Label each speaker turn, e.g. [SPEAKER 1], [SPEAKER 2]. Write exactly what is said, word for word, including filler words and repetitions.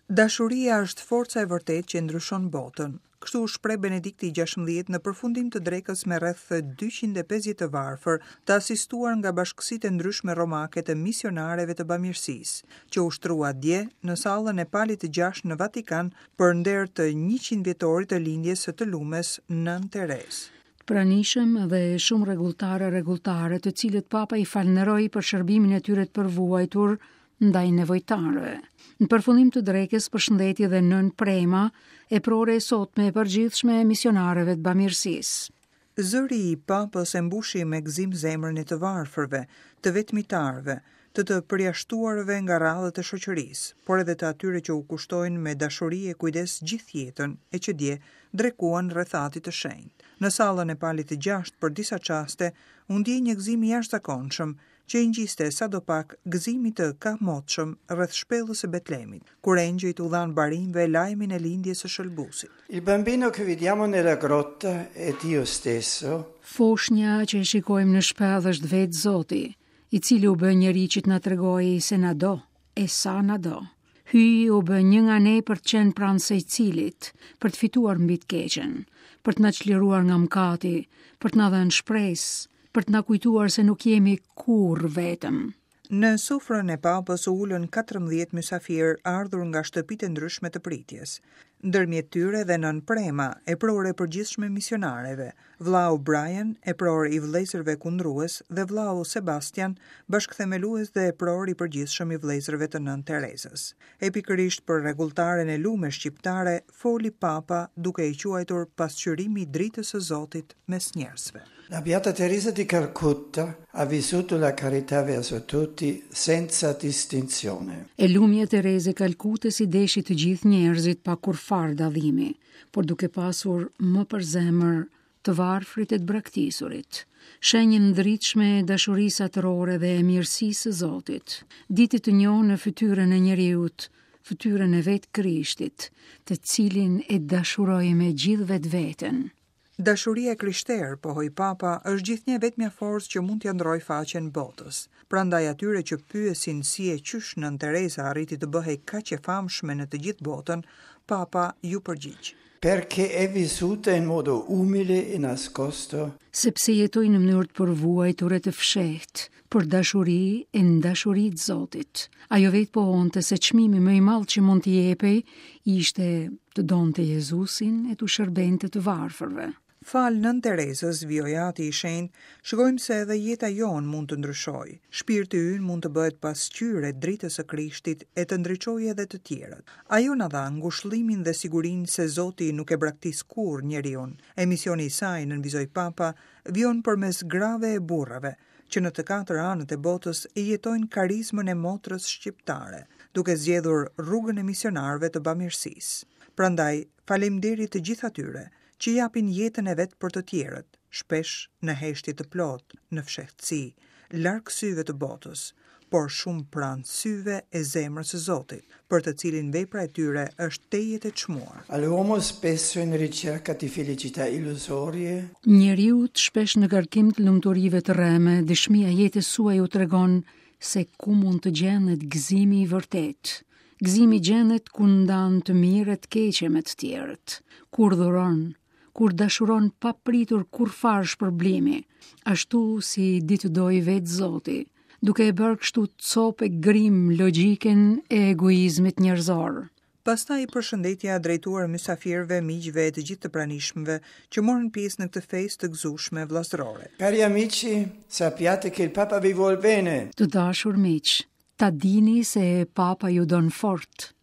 [SPEAKER 1] Dashuria është forca e vërtetë që ndryshon botën. Kështu u shpreh Benedikti gjashtëmbëdhjetë në përfundim të drekës me rreth dyqind e pesëdhjetë të varfër, të asistuar nga bashkësitë e ndryshme romake të misionareve të bamirësisë, që u shtrua dje në sallën e Palit të gjashtë në Vatikan për nder të njëqind vjetorit të lindjes së të lumes Nënë Terezë.
[SPEAKER 2] Pranishëm dhe shumë rregulltare rregulltare, të cilët Papa i falënderoi për shërbimin e tyre të përvuajtur ndaj nevojtarëve. Në përfundim të drekës përshëndeti dhe Nën Prema, eprore e sotme e përgjithshme e misionareve të bamirësisë.
[SPEAKER 1] Zëri i Papës e mbushi me gëzim zemrën e të varfërve, të vetmitarëve, të të përjashtuarve nga radhët e shoqërisë, por edhe të atyre që u kushtojnë me dashuri e kujdes gjithë jetën e që dje drekuan rreth atit të shenjtë. Në sallën e Palit të gjashtë për disa çaste u ndje një gëzim i jashtëzakonshëm që i ngjiste sado pak gëzimit të kahmotshëm rreth shpellës së Betlemit, kur engjëjt u dhanë barinjve lajmin e lindjes së Shëlbusit.
[SPEAKER 3] Il bambino che vediamo nella grotta è Dio stesso.
[SPEAKER 2] Foshnja që e shikojmë në shpellë është vetë Zoti, i cili u bë njeri që të na tregojë se na do, e sa na do. Hyji u bë një nga ne për të qenë pranë secilit, për të fituar mbi të keqen, për të na çliruar nga mëkati, për të na dhënë shpresë, për të na kujtuar se nuk jemi kurrë vetëm.
[SPEAKER 1] Në sofrën e Papës u ulën katërmbëdhjetë mysafirë ardhur nga shtëpitë e ndryshme të pritjes. Ndërmjet tyre dhe Nën Prema, eprore e përgjithshme misionareve, vllau Brian, epror i vëllezërve kundrues dhe vllau Sebastian, bashkëthemelues dhe epror i përgjithshëm i vëllezërve të Nën Terezës. E pikërisht për rregulltaren e lume shqiptare foli Papa duke e quajtur pasqyrimi i dritës së Zotit mes njerëzve.
[SPEAKER 3] La Beata Teresa di Calcutta ha vissuto la carità verso tutti senza distinzione.
[SPEAKER 2] E lumja Tereze e Kalkutës i deshi të gjithë njerëzit pa kurrfar dallimi, por duke pasur më për zemër të varfrit e të braktisurit, shenjën ndritshme e dashurisë atërore dhe e mirësisë së Zotit. Diti të njohë në fytyrën e njeriut, fytyrën e vetë Krishtit, të cilin e dashuroi me gjithë vetveten.
[SPEAKER 1] Dashuria e krishterë, pohoi Papa, është gjithnjë vetmja forcë që mund t'ia ndrojë faqen botës. Prandaj atyre që pyesin si e qysh Nën Tereza arriti të bëhej kaq e famshme në të gjithë botën, Papa ju përgjigj.
[SPEAKER 3] Perché è vissuta in modo umile e nascosto.
[SPEAKER 2] Sepse jetoi në mënyrë të përvuajtur e të fshehtë, për dashuri e në dashuri të Zotit. Ajo vetë pohonte se çmimi më i madh që mund t'i jepej ishte të donte Jezusin e t'u shërbente të varfërve.
[SPEAKER 1] Fal Nën Terezës, vijoi Ati i Shenjtë, shikojmë se edhe jeta jonë mund të ndryshojë. Shpirti ynë mund të bëhet pasqyrë e dritës së Krishtit e të ndriçojë edhe të tjerët. Ajo na dha ngushëllimin dhe sigurinë se Zoti nuk e braktis kurrë njeriun. Emisioni i saj, nënvizoi Papa, vijon përmes grave e burrave, që në të katër anët e botës e jetojnë karizmën e motrës shqiptare, duke zgjedhur rrugën e misionarëve të bamirësisë. Prandaj, faleminderit të gjithë atyre që japin jetën e vet për të tjerët, shpesh në heshtje të plotë, në fshehtësi, larg syve të botës, por shumë pranë syve e zemrës së Zotit, për të cilin vepra e tyre është tejet e çmuar.
[SPEAKER 3] All'uomo spesso in ricerca di felicità illusorie.
[SPEAKER 2] Njeriu shpesh në kërkim të lumturive të rreme, dëshmia e jetës suaj u tregon se ku mund të gjendet gëzimi i vërtet. Gëzimi gjendet ku ndan të mirë e të keqe me të tjerët, kur dhuron, kur dashuron pa pritur kurrfar shpërblimi, ashtu si di të dojë vetë Zoti, duke e bërë kështu copë e grim logjikën e egoizmit njerëzor.
[SPEAKER 1] Pastaj përshëndetja drejtuar mysafirëve, miqve e të gjithë të pranishmëve që morën pjesë në këtë festë të gëzueshme vëllazërore.
[SPEAKER 3] Cari amici, sappiate che il Papa vi vuol bene.
[SPEAKER 2] Të dashur miq, ta dini se Papa ju don fort.